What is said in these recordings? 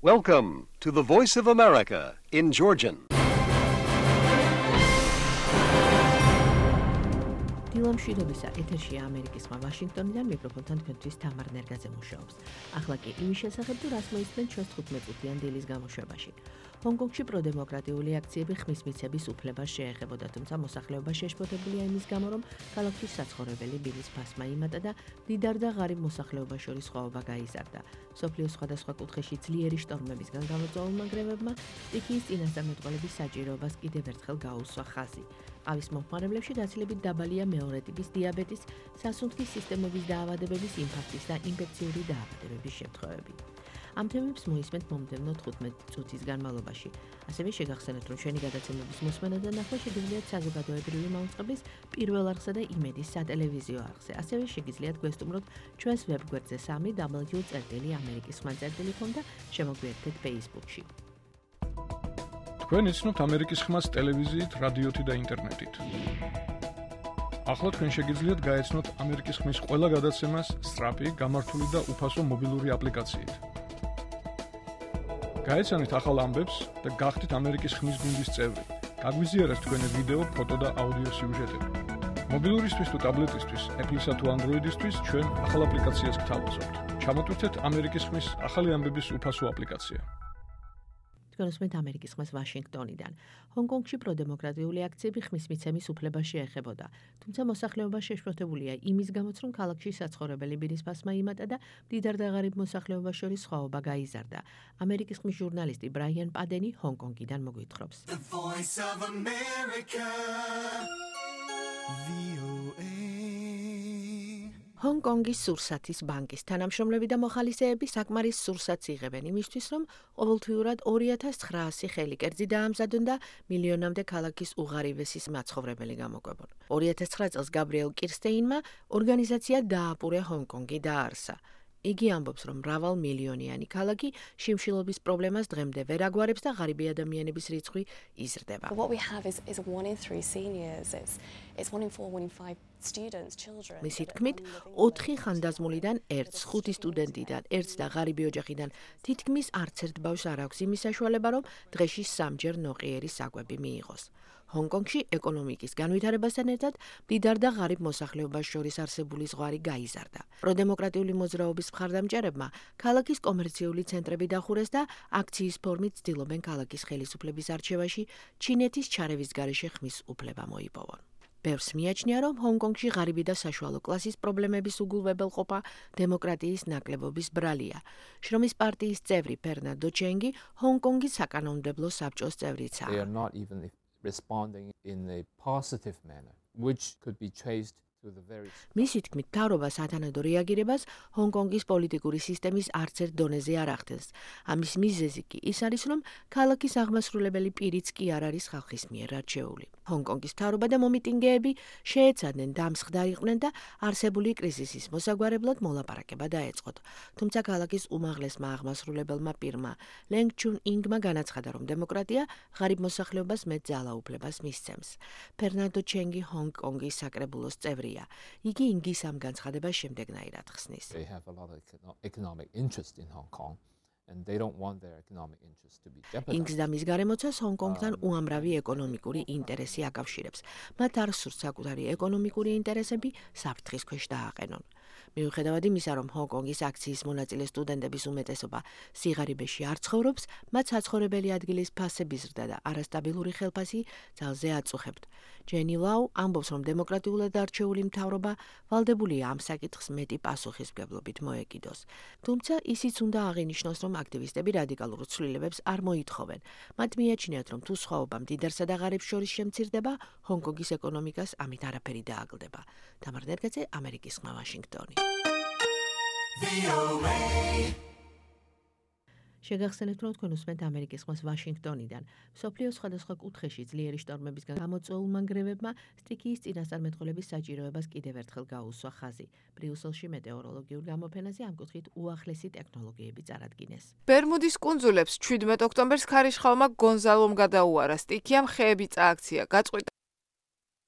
Welcome to the Voice of America in Georgian. დილა მშვიდობისა, ეთერშია ამერიკის ხმა ვაშინგტონიდან მიკროფონთან თქვენთვის თამარ ნერგაძე მუშაობს. ახლა კი იმის შესახებ, თუ რას მოისმენთ ჩვენს 15 წუთიან დილის გამოშვებაში. ჰონგ-კონგში პროდემოკრატიული აქციები ხმის მიცემის უფლებას შეეხებოდა, თუმცა მოსახლეობა შეშფოთებულია იმის გამო, რომ ქალაქში საცხოვრებელი ბილის ფასმა იმატა და მდიდარ და ღარიბ მოსახლეობას შორის სხვაობა გაიზარდა. მსოფლიოს სხვადასხვა კუთხეში ძლიერი შტორმებისგან გამოწვეულმა გრევებმა სტიქიის წინასწარმეტყველების საჭიროებას კიდევ ერთხელ გაუსვა ხაზი. ყავის მომხმარებლებში გაცილებით დაბალია მეორე ტიპის დიაბეტის, სასუნთქის სისტემების დაავადებების, ინფარქტის და ინფექციური დაავადებების შემთხვევები. ამ თემებს მოისმენთ მომდევნო 15 წუთის განმავლობაში. ასევე შეგახსენებთ, რომ ჩვენი გადაცემების მოსმენა და ნახვა შეგიძლიათ საზოგადოებრივი მაუწყებლის პირველ არხსა და იმედის სატელევიზიო არხზე. ასევე შეგიძლიათ გვესტუმროთ ჩვენს ვებგვერდზე www.amerikisxma.com და შემოგვიერთდეთ Facebook-ში. თქვენ იცნობთ ამერიკის ხმას ტელევიზიით, რადიოთი და ინტერნეტით. ახლა თქვენ შეგიძლიათ გაეცნოთ ამერიკის ხმის ყველა გადაცემას სწრაფი, გამართული და უფასო მობილური აპლიკაციით. გაეცანით ახალ ამბებს და გახდით ამერიკის ხმის გუნდის წევრი. გაგვიზიარეთ თქვენი ვიდეო, ფოტო და აუდიო სიუჟეტები. მობილურისთვის თუ ტაბლეტისთვის, Apple-ისა თუ Android-ისთვის ჩვენ ახალ აპლიკაციას გთავაზობთ. ჩამოტვირთეთ ამერიკის ხმის ახალი ამბების უფასო აპლიკაცია. თქვენსმენთ ამერიკის ხმას ვაშინგტონიდან. ჰონგ-კონგში პროდემოკრატიული აქციები ხმის მიცემის უფლებას შეეხებოდა, თუმცა მოსახლეობა შეშფოთებულია იმის გამოც, რომ ქალაქში საცხოვრებელი ბილის ფასმა იმატა და მდიდარ და ღარიბ მოსახლეობას შორის სხვაობა გაიზარდა. ამერიკის ხმის ჟურნალისტი ბრაიან პადენი ჰონგ-კონგიდან მოგვითხრობს. ჰონგ-კონგის სურსათის ბანკის თანამშრომლები და მოხალისეები საკმარის სურსათს იღებენ იმისთვის, რომ ყოველთვიურად 2900 ხელი კერძი დაამზადონ და მილიონამდე ქალაქის უღარიბესის მაცხოვრებელი გამოკვებონ. 2009 წელს გაბრიელ კირსტეინმა ორგანიზაცია დააპურე ჰონგ-კონგი დაარსა. იგი ამბობს, რომ მრავალ მილიონიანი ქალაქი შიმშილობის პრობლემას დღემდე ვერ აგვარებს და ღარიბი ადამიანების რიცხვი იზრდება. What we have is 1 in 3 seniors. It's 1 in 4, 1 in 5 students, children. მისი თქმით, 4 ხანდაზმულიდან 1, 5 სტუდენტიდან 1 და ღარიბი ოჯახიდან თითქმის არც ერთ ბავშვს არ აქვს იმის საშუალება, რომ დღეში 3ჯერ ნოყიერი საკვები მიიღოს. ჰონგ-კონგში ეკონომიკის განვითარებასთან ერთად მდიდარ და ღარიბ მოსახლეობას შორის არსებული ზღვარი გაიზარდა. პროდემოკრატიული მოძრაობის მხარდამჭერებმა ქალაქის კომერციული ცენტრები დახურეს და აქციის ფორმით ცდილობენ ქალაქის ხელისუფლების არჩევაში ჩინეთის ჩარევის გარეშე ხმის უფლება მოიპოვონ. ბევრს მიაჩნია, რომ ჰონგ-კონგში ღარიბი და საშუალო კლასის პრობლემების უგულვებელყოფა დემოკრატიის ნაკლებობის ბრალია. შრომის პარტიის წევრი ფერნანდო ჩენგი ჰონგ-კონგის საკანონმდებლო საბჭოს წევრიცაა. Responding in a positive manner, which could be traced to the very მისი თქმით, მთავრობა სათანადო რეაგირებას ჰონგ-კონგის პოლიტიკური სისტემის არც ერთ დონეზე არ ახდენს. ამის მიზეზი კი ის არის, რომ ქალაქის აღმასრულებელი პირიც კი არ არის ხალხის მიერ არჩეული. ჰონგ-კონგის მთავრობა და მომიტინგეები შეეცადნენ დამსხდარიყვნენ და არსებული კრიზისის მოსაგვარებლად მოლაპარაკება დაეწყოთ. თუმცა ქალაქის უმაღლესმა აღმასრულებელმა პირმა ლენგ ჩუნ ინგმა განაცხადა, რომ დემოკრატია ღარიბ მოსახლეობას მეტ ძალაუფლებას მისცემს. ფერნანდო ჩენგი ჰონგ-კონგის საკრებულოს წევრია. იგი ინგის ამ განცხადებას შემდეგნაირად ხსნის. They have a lot of economic interest in Hong Kong and they don't want their economic interest to be jeopardized. ინგს და მის გარემოცას ჰონგ-კონგთან უამრავი ეკონომიკური ინტერესი აკავშირებს. მათ არ სურთ საკუთარი ეკონომიკური ინტერესები საფრთხის ქვეშ დააყენონ. მიუხედავად იმისა, რომ ჰონგ-კონგის აქციის მონაწილე სტუდენტების უმეტესობა სიღარიბეში არ ცხოვრობს, მათ საცხოვრებელი ადგილის ფასების ზრდა და არასტაბილური ხელფასი ძალზე აწუხებთ. ჯენი ლაუ ამბობს, რომ დემოკრატიულად არჩეული მთავრობა ვალდებულია ამ საკითხს მეტი პასუხისმგებლობით მოეკიდოს. თუმცა ისიც უნდა აღინიშნოს, რომ აქტივისტები რადიკალურ ცვლილებებს არ მოითხოვენ. მათ მიაჩნიათ, რომ თუ სხვაობა მდიდარსა და ღარიბს შორის შემცირდება, ჰონგ-კონგის ეკონომიკას ამით არაფერი დააგლდება. თამარ ნერგაძე, ამერიკის ხმა, ვაშინგტონი. შეგახსენებთ, რომ თქვენ უსმენთ ამერიკის ხმას ვაშინგტონიდან. მსოფლიოს სხვადასხვა კუთხეში ძლიერი შტორმებისგან გამოწვეულმა გრევებმა სტიქიის წინასწარმეტყველების საჭიროებას კიდევ ერთხელ გაუსვა ხაზი. ბრიუსელში მეტეოროლოგიურ გამოფენაზე ამ კუთხით უახლესი ტექნოლოგიები წარადგინეს. ბერმუდის კუნძულებს 17 ოქტომბერს ქარიშხალმა გონზალომ გადაუარა. სტიქიამ ხეები წააქცია. გაწყვიტა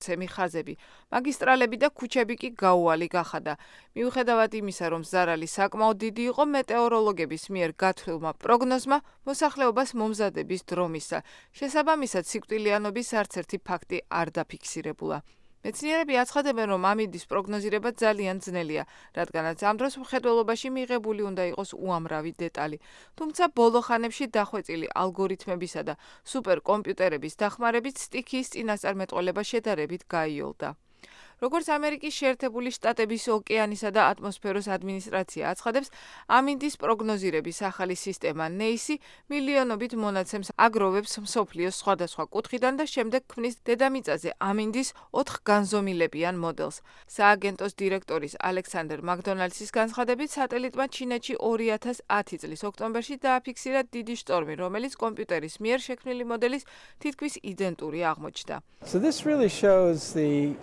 მონაცემი ხაზები, მაგისტრალები და ქუჩები კი გაუვალი გახადა. მიუხედავად იმისა, რომ ზარალი საკმაოდ დიდი იყო, მეტეოროლოგების მიერ გათვლილმა პროგნოზმა მოსახლეობას მომზადების დრო მისცა. შესაბამისად, სიკვდილიანობის არც ერთი ფაქტი არ დაფიქსირებულა. მეცნიერები აცხადებენ, რომ ამინდის პროგნოზირება ძალიან ძნელია, რადგანაც ამ დროს მხედველობაში მიღებული უნდა იყოს უამრავი დეტალი. თუმცა ბოლო ხანებში დახვეწილი ალგორითმებისა და სუპერკომპიუტერების დახმარებით სტიქიის წინასწარმეტყველება შედარებით გაიოლდა. როგორც ამერიკის შეერთებული შტატების ოკეანისა და ატმოსფეროს ადმინისტრაცია აცხადებს, ამინდის პროგნოზირების ახალი სისტემა NEISI მილიონობით მონაცემს აგროვებს მსოფლიოს სხვადასხვა კუთხიდან და შემდეგ ქმნის დედამიწაზე ამინდის 4 განზომილებიან მოდელს. სააგენტოს დირექტორის ალექსანდერ მაკდონალდსის განცხადებით, სატელიტმა ჩინეთში 2010 წლის ოქტომბერში დააფიქსირა დიდი შტორმი, რომელიც კომპიუტერის მიერ შექმნილი მოდელის თითქმის იდენტური აღმოჩნდა. So this really shows the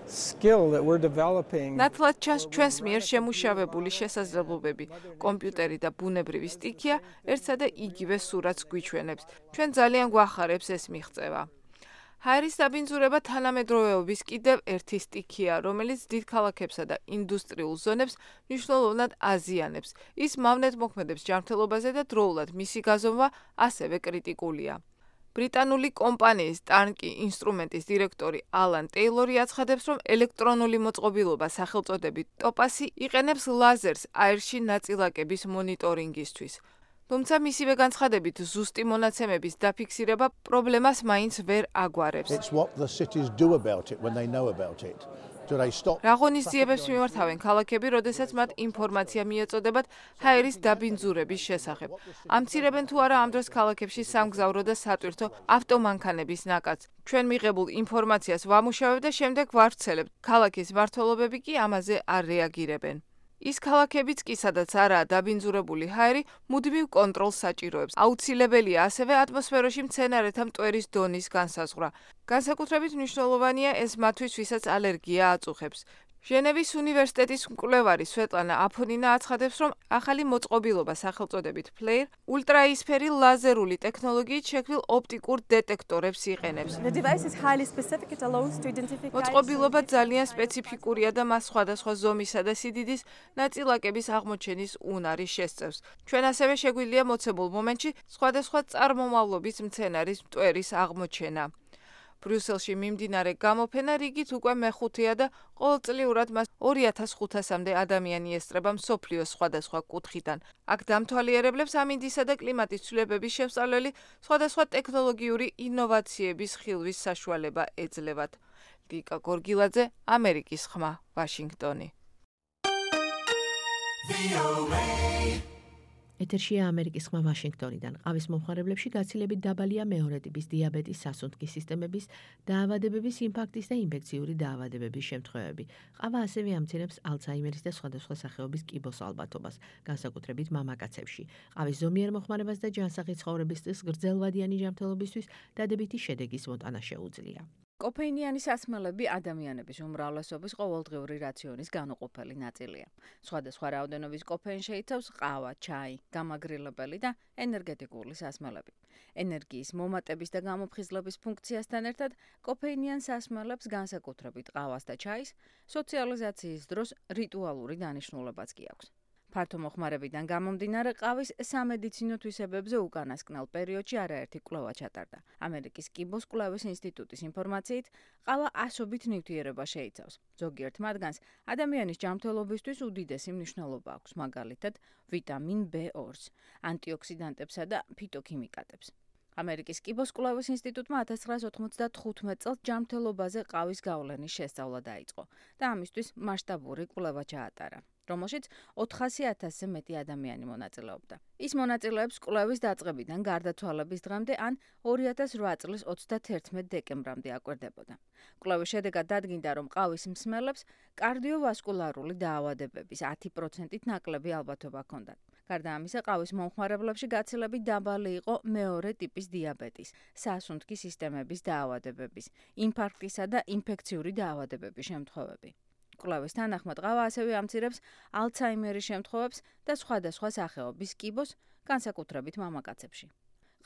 skill that we're developing. ნათლად ჩანს ჩვენს მიერ შემუშავებული შესაძლებლობები. კომპიუტერი და ბუნებრივი სტიქია ერთსა და იგივე სურათს გვიჩვენებს. ჩვენ ძალიან გვახარებს ეს მიღწევა. ჰაერის დაბინძურება თანამედროვეობის კიდევ ერთი სტიქია, რომელიც დიდ ქალაქებსა და ინდუსტრიულ ზონებს მნიშვნელოვნად აზიანებს. ის მავნეთმოქმედებს ჯანმრთელობაზე და დროულად მისი გაზომვა ასევე კრიტიკულია. ბრიტანული კომპანიის ტანკი ინსტრუმენტის დირექტორი ალან ტეილორი აცხადებს, რომ ელექტრონული მოწყობილობა სახელწოდებით ტოპასი იყენებს ლაზერს აირში ნაწილაკების მონიტორინგისთვის. თუმცა მისივე განცხადებით, ზუსტი მონაცემების დაფიქსირება პრობლემას მაინც ვერ აგვარებს. It's what the cities do about it when they know about it. რა ღონისძიებებს მიმართავენ ქალაქები, როდესაც მათ ინფორმაცია მიეწოდებათ ჰაერის დაბინძურების შესახებ. ამცირებენ თუ არა ამ დროს ქალაქებში სამგზავრო და სატვირთო ავტომანქანების ნაკადს. ჩვენ მიღებულ ინფორმაციას ვამუშავებ და შემდეგ ვავრცელებ. ქალაქის მმართველობები კი ამაზე არ რეაგირებენ. ის ქალაქებიც კი, სადაც არაა დაბინძურებული ჰაერი, მუდმივ კონტროლს საჭიროებს. აუცილებელია ასევე ატმოსფეროში მცენარეთა მტვერის დონის განსაზღვრა. განსაკუთრებით მნიშვნელოვანია ეს მათთვის, ვისაც ალერგია აწუხებს. ჟენევის უნივერსიტეტის მკვლევარი სვეტლანა აფონინა აცხადებს, რომ ახალი მოწყობილობა სახელწოდებით FLIR ულტრაისფერი ლაზერული ტექნოლოგიით შექმნილ ოპტიკურ დეტექტორებს იყენებს. მოწყობილობა ძალიან სპეციფიკურია და მას სხვადასხვა ზომისა და სიდიდის ნაწილაკების აღმოჩენის უნარი შესწევს. ჩვენ ასევე შეგვიძლია მოცემულ მომენტში სხვადასხვა წარმომავლობის მცენარის მტვერის აღმოჩენა. ბრიუსელში მიმდინარე გამოფენა რიგით უკვე მეხუთეა და ყოველწლიურად მას 2500-მდე ადამიანი ესწრება მსოფლიოს სხვადასხვა კუთხიდან. აქ დამთვალიერებლებს ამინდისა და კლიმატის ცვლილებების შესწავლელი სხვადასხვა ტექნოლოგიური ინოვაციების ხილვის საშუალება ეძლევათ. ლიკა გორგილაძე, ამერიკის ხმა, ვაშინგტონი. ეთერშია ამერიკის ხმა ვაშინგტონიდან. ყავის მომხმარებლებში გაცილებით დაბალია მეორე ტიპის დიაბეტის, სასუნთქის სისტემების დაავადებების, ინფარქტის და ინფექციური დაავადებების შემთხვევები. ყავა ასევე ამცირებს ალცჰაიმერის და სხვადასხვა სახეობის კიბოს ალბათობას, განსაკუთრებით მამაკაცებში. ყავის ზომიერ მოხმარებას და ჯანსაღი ცხოვრების სტილს გრძელვადიანი ჯანმრთელობისთვის დადებითი შედეგის მოტანა შეუძლია. კოფეინიანი სასმელები ადამიანების უმრავლესობის ყოველდღიური რაციონის განუყოფელი ნაწილია. სხვადასხვა რაოდენობის კოფეინი შეიცავს ყავა, ჩაი, გამაგრილებელი და ენერგეტიკული სასმელები. ენერგიის მომატების და გამოფხიზლების ფუნქციასთან ერთად კოფეინიან სასმელებს განსაკუთრებით ყავას და ჩაის სოციალიზაციის დროს რიტუალური დანიშნულებაც კი აქვს. ფართო მოხმარებიდან გამომდინარე ყავის სამედიცინო თვისებებზე უკანასკნელ პერიოდში არაერთი კვლევა ჩატარდა. ამერიკის კიბოს კვლევის ინსტიტუტის ინფორმაციით, ყავა ასობით ნივთიერება შეიცავს. ზოგიერთ მათგანს ადამიანის ჯანმრთელობისთვის უდიდესი მნიშვნელობა აქვს, მაგალითად ვიტამინ B2-ს, ანტიოქსიდანტებსა და ფიტოქიმიკატებს. ამერიკის კიბოს კვლევის ინსტიტუტმა 1995 წელს ჯანმრთელობაზე ყავის გავლენის შესწავლა დაიწყო და ამისთვის მასშტაბური კვლევა ჩაატარა, რომელშიც 400,000-ზე მეტი ადამიანი მონაწილეობდა. ის მონაწილეებს კვლევის დაწყებიდან გარდაცვალების დღემდე ან 2008 წლის 31 დეკემბრამდე აკვირდებოდა. კვლევის შედეგად დადგინდა, რომ ყავის მსმელებს კარდიოვასკულარული დაავადებების 10%-ით ნაკლები ალბათობა ჰქონდათ. გარდა ამისა, ყავის მომხმარებლებში გაცილებით დაბალი იყო მეორე ტიპის დიაბეტის, სასუნთქის სისტემების დაავადებების, ინფარქტისა და ინფექციური დაავადებების შემთხვევები. კვლევის თანახმად ყავა ასევე ამცირებს ალცჰაიმერის შემთხვევებს და სხვადასხვა სახეობის კიბოს, განსაკუთრებით მამაკაცებში.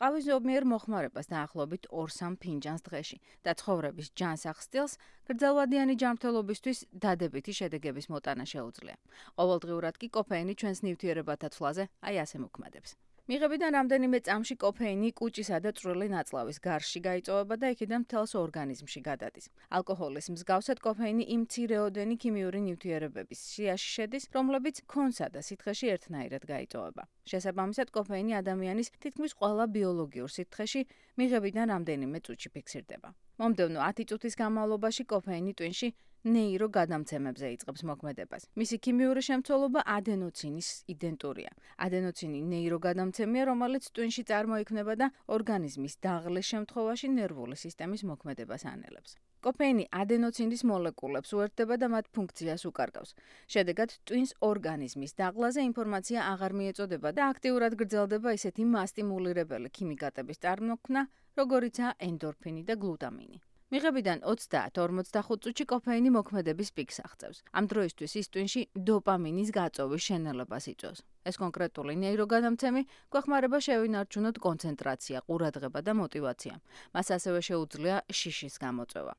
ყავის ზომიერ მოხმარებას დაახლოებით 2-3 ფინჯანს დღეში და ცხოვრების ჯანსაღ სტილს გრძელვადიანი ჯანმრთელობისთვის დადებითი შედეგების მოტანა შეუძლია. ყოველდღიურად კი კოფეინი ჩვენს ნივთიერებათა ცვლაზე აი ასე მოქმედებს. მიღებიდან რამდენიმე წამში კოფეინი კუჭისა და წვრილი ნაწლავის გარშში გაიწოვება და იქიდან მთელს ორგანიზმში გადადის. ალკოჰოლის მსგავსად კოფეინი იმ მცირეოდენი ქიმიური ნივთიერებების სიაში შედის, რომლებიც ქონსა და სითხეში ერთნაირად გაიწოვება. შესაბამისად, კოფეინი ადამიანის თითქმის ყველა ბიოლოგიურ სითხეში მიღებიდან რამდენიმე წუთში ფიქსირდება. მომდევნო 10 წუთის განმავლობაში კოფეინი ტვინში ნეირო გადამცემებზე იწყებს მოქმედებას. მისი ქიმიური შემცველობა ადენოცინის იდენტურია. ადენოცინი ნეირო გადამცემია, რომელიც ტვინში წარმოიქმნება და ორგანიზმის დაღლეს შემთხვევაში ნერვული სისტემის მოქმედებას ანელებს. კოფეინი ადენოცინის მოლეკულებს უერთდება და მათ ფუნქციას უკარგავს. შედეგად ტვინს ორგანიზმის დაღლაზე ინფორმაცია აღარ მიეწოდება და აქტიურად გრძელდება ისეთი მასტიმულირებელი ქიმიკატების წარმოქმნა, როგორიცაა ენდორფინი და გლუტამინი. მიღებიდან 30-45 წუთში კოფეინი მოქმედების პიკს აღწევს. ამ დროისთვის ის ტვინში დოპამინის გაწოვის შენელებას იწვევს. ეს კონკრეტული ნეიროგადამცემი გვეხმარება შევინარჩუნოთ კონცენტრაცია, ყურადღება და мотиваცია. მას ასევე შეუძლია შიშის გამოწვევა.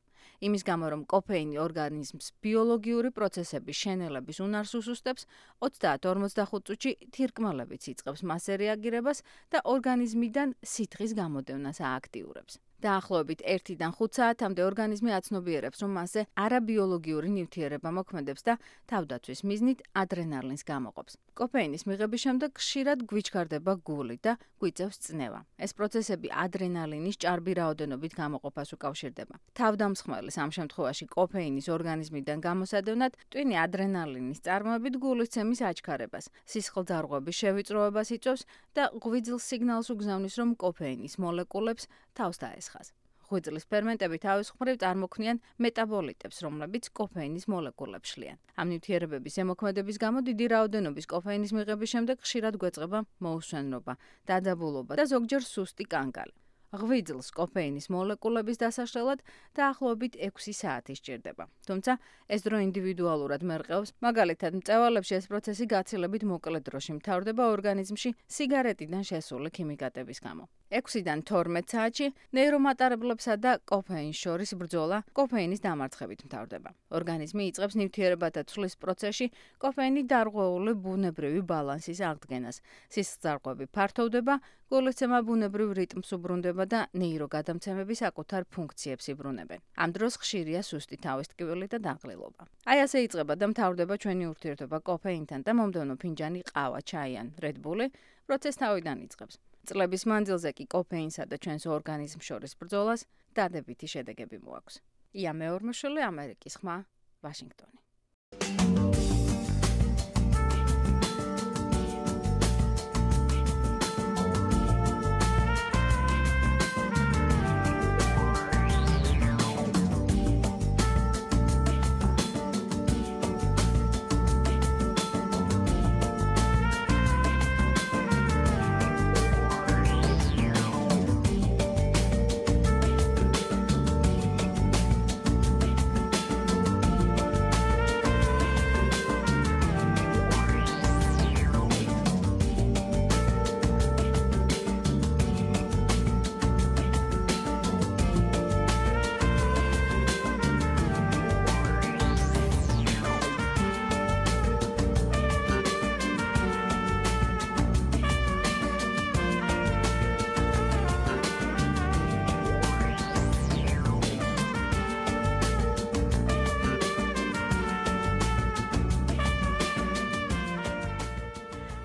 იმის გამო, რომ კოფეინი ორგანიზმს ბიოლოგიური პროცესების შენელების უნარს უსუსტებს, 30-45 წუთში თირკმელებიც იწყებს მასზე რეაგირებას და ორგანიზმიდან სითხის გამოდევნას ააქტიურებს. დაახლოებით 1-დან 5 საათამდე ორგანიზმი აცნობიერებს, რომ მასზე არაბიოლოგიური ნივთიერება მოქმედებს და თავდაცვის მიზნით ადრენალინს გამოყოფს. კოფეინის მიღების შემდეგ ხშირად გვიჩქარდება გული და გვიწევს წნევა. ეს პროცესები ადრენალინის ჭარბი რაოდენობით გამოყოფას უკავშირდება. თავდამსხმელის ამ შემთხვევაში კოფეინის ორგანიზმიდან გამოსადევნად ტვინი ადრენალინის წარმოებით გულისცემის აჩქარებას, სისხლძარღვების შევიწროებას იწვევს და ღვიძლ სიგნალს უგზავნის, რომ კოფეინის მოლეკულებს თავს დაესხას. ღვიძლის ფერმენტები თავის მხრივ წარმოქმნიან მეტაბოლიტებს, რომლებიც კოფეინის მოლეკულებს შლიან. ამ ნივთიერებების ზემოქმედების გამო დიდი რაოდენობის კოფეინის მიღების შემდეგ ხშირად გვეწყება მოუსვენრობა, დაძაბულობა და ზოგჯერ სუსტი კანკალი. ღვიძლს კოფეინის მოლეკულების დასაშლელად დაახლოებით 6 საათი სჭირდება. თუმცა ეს დრო ინდივიდუალურად მერყეობს, მაგალითად, მწვავალებში ეს პროცესი გაცილებით მოკლე დროში მთავრდება ორგანიზმში სიგარეტიდან შესული ქიმიკატების გამო. 6-დან 12 საათში ნეირომატარებლებსა და კოფეინს შორის ბრძოლა კოფეინის დამარცხებით მთავრდება. ორგანიზმი იწყებს ნივთიერებათა ცვლის პროცესში კოფეინი დარღვეული ბუნებრივი ბალანსის აღდგენას. სისხლძარღვები ფართოვდება, გულისცემა ბუნებრივ რიტმს უბრუნდება და ნეიროგადამცემები საკუთარ ფუნქციებს იბრუნებენ. ამ დროს ხშირია სუსტი თავის ტკივილი და დაღლილობა. აი ასე იწყება და მთავრდება ჩვენი ურთიერთობა კოფეინთან და მომდევნო ფინჯანი ყავა, ჩაი ან Red Bull-ი პროცესს თავიდან იწყებს. წლების მანძილზე კი კოფეინსა და ჩვენს ორგანიზმს შორის ბრძოლას დადებითი შედეგები მოაქვს. ია მეორმოშვილი, ამერიკის ხმა, ვაშინგტონი.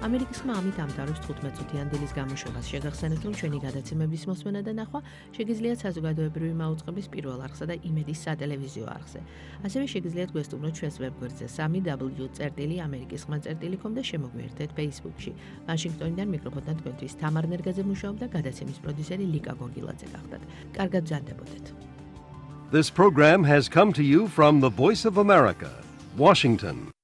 ამერიკის ხმა ამით ამთავრებს 15 წუთიან დილის გამოშვებას. შეგახსენებთ, რომ ჩვენი გადაცემების მოსმენა და ნახვა შეგიძლიათ საზოგადოებრივი მაუწყების პირველ არხსა და იმედის სატელევიზიო არხზე. ასევე შეგიძლიათ გვესტუმროთ ჩვენს ვებგვერდზე www.amerikisxma.com და შემოგვიერთეთ Facebook-ში. ვაშინგტონიდან მიკროფონთან თქვენთვის თამარ ნერგაძე მუშაობდა, გადაცემის პროდიუსერი ლიკა გოგილაძე გახდათ. კარგად ბრძანდებოდეთ. This program has come to you from the Voice of America, Washington.